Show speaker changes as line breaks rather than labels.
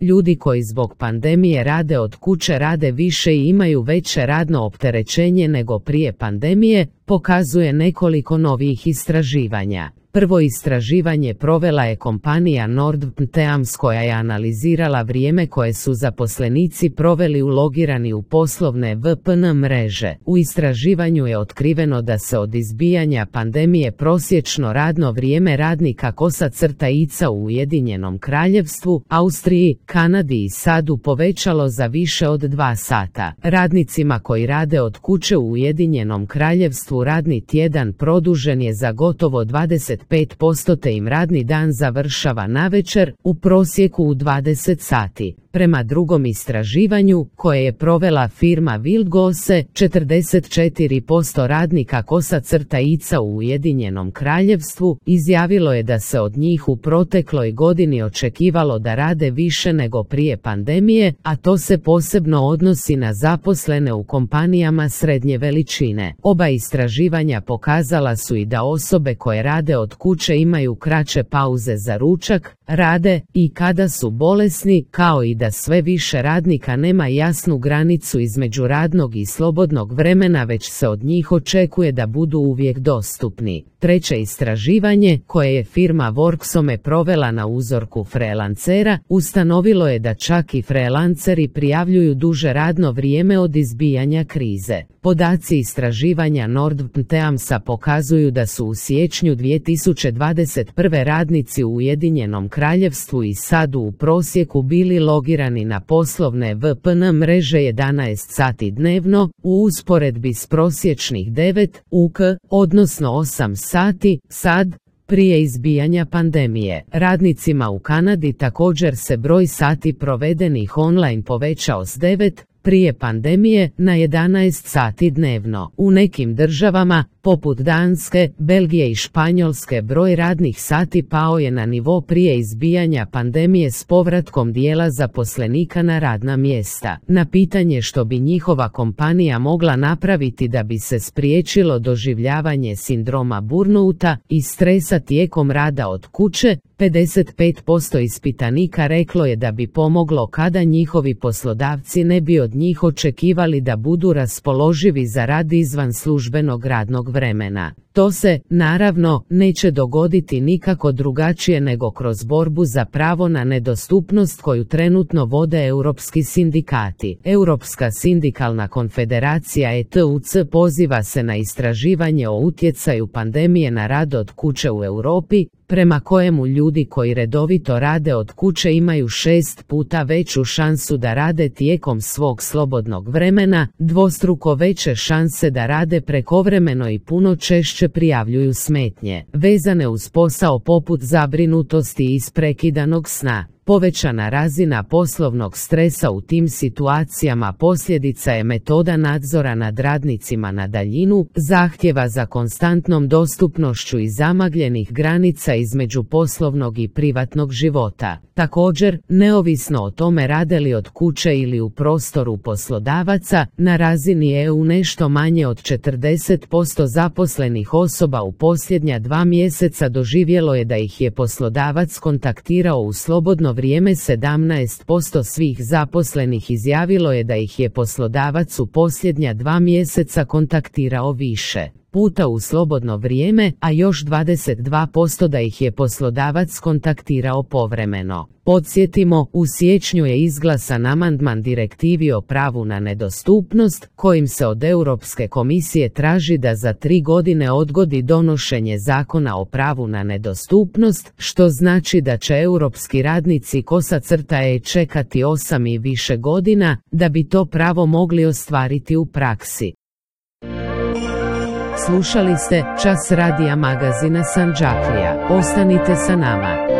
ljudi koji zbog pandemije rade od kuće rade više i imaju veće radno opterećenje nego prije pandemije, pokazuje nekoliko novih istraživanja. Prvo istraživanje provela je kompanija NordVPN koja je analizirala vrijeme koje su zaposlenici proveli ulogirani u poslovne VPN mreže. U istraživanju je otkriveno da se od izbijanja pandemije prosječno radno vrijeme radnika kosa-ica u Ujedinjenom Kraljevstvu, Austriji, Kanadi i SAD-u povećalo za više od 2 sata. Radnicima koji rade od kuće u Ujedinjenom Kraljevstvu radni tjedan produžen je za gotovo 25% te im radni dan završava navečer, u prosjeku u 20 sati. Prema drugom istraživanju, koje je provela firma Wildgosse, 44% radnika kosa-ica u Ujedinjenom Kraljevstvu izjavilo je da se od njih u protekloj godini očekivalo da rade više nego prije pandemije, a to se posebno odnosi na zaposlene u kompanijama srednje veličine. Oba istraživanja pokazala su i da osobe koje rade od kuće imaju kraće pauze za ručak, rade i kada su bolesni, kao i da sve više radnika nema jasnu granicu između radnog i slobodnog vremena, već se od njih očekuje da budu uvijek dostupni. Treće istraživanje, koje je firma Worksome provela na uzorku freelancera, ustanovilo je da čak i freelanceri prijavljuju duže radno vrijeme od izbijanja krize. Podaci istraživanja NordVPN-a pokazuju da su u siječnju 2021. radnici u Ujedinjenom Kraljevstvu i SAD-u u prosjeku bili logirani na poslovne VPN mreže 11 sati dnevno, u usporedbi s prosječnih 9 UK, odnosno 8 sati, SAD, prije izbijanja pandemije. Radnicima u Kanadi također se broj sati provedenih online povećao s 9 prije pandemije na 11 sati dnevno. U nekim državama, poput Danske, Belgije i Španjolske, broj radnih sati pao je na nivo prije izbijanja pandemije s povratkom dijela zaposlenika na radna mjesta. Na pitanje što bi njihova kompanija mogla napraviti da bi se spriječilo doživljavanje sindroma burnouta i stresa tijekom rada od kuće, 55% ispitanika reklo je da bi pomoglo kada njihovi poslodavci ne bi od njih očekivali da budu raspoloživi za rad izvan službenog radnog vremena. To se, naravno, neće dogoditi nikako drugačije nego kroz borbu za pravo na nedostupnost koju trenutno vode europski sindikati. Europska sindikalna konfederacija ETUC poziva se na istraživanje o utjecaju pandemije na rad od kuće u Europi, prema kojemu ljudi koji redovito rade od kuće imaju 6 puta veću šansu da rade tijekom svog slobodnog vremena, dvostruko veće šanse da rade prekovremeno i puno češće prijavljuju smetnje vezane uz posao poput zabrinutosti i isprekidanog sna. Povećana razina poslovnog stresa u tim situacijama posljedica je metoda nadzora nad radnicima na daljinu, zahtjeva za konstantnom dostupnošću i zamagljenih granica između poslovnog i privatnog života. Također, neovisno o tome rade li od kuće ili u prostoru poslodavaca, na razini EU nešto manje od 40% zaposlenih osoba u posljednja 2 mjeseca doživjelo je da ih je poslodavac kontaktirao u slobodno vrijeme. 17% svih zaposlenih izjavilo je da ih je poslodavac u posljednja 2 mjeseca kontaktirao više puta u slobodno vrijeme, a još 22% da ih je poslodavac kontaktirao povremeno. Podsjetimo, u siječnju je izglasan amandman direktivi o pravu na nedostupnost, kojim se od Europske komisije traži da za 3 godine odgodi donošenje zakona o pravu na nedostupnost, što znači da će europski radnici kosa-e čekati 8 i više godina, da bi to pravo mogli ostvariti u praksi. Slušali ste Čas radija magazina Sandžaklija. Ostanite sa nama.